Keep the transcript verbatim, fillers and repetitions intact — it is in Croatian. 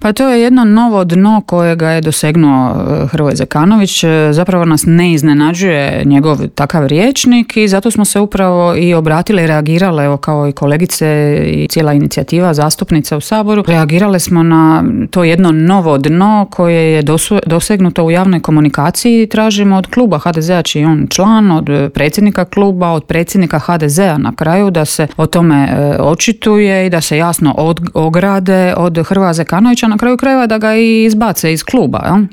Pa to je jedno novo dno kojega je dosegnuo Hrvoje Zekanović. Zapravo nas ne iznenađuje njegov takav rječnik i zato smo se upravo i obratile i reagirale, evo kao i kolegice i cijela inicijativa zastupnica u Saboru. Reagirale smo na to jedno novo dno koje je dosegnuto u javnoj komunikaciji i tražimo od kluba ha de zea, čiji je on član, od predsjednika kluba, od predsjednika ha de zea na kraju da se o tome očituje i da se jasno od, ograde od Hrvoja Zekanovića, na kraju krajeva da ga i izbace iz kluba. Ja?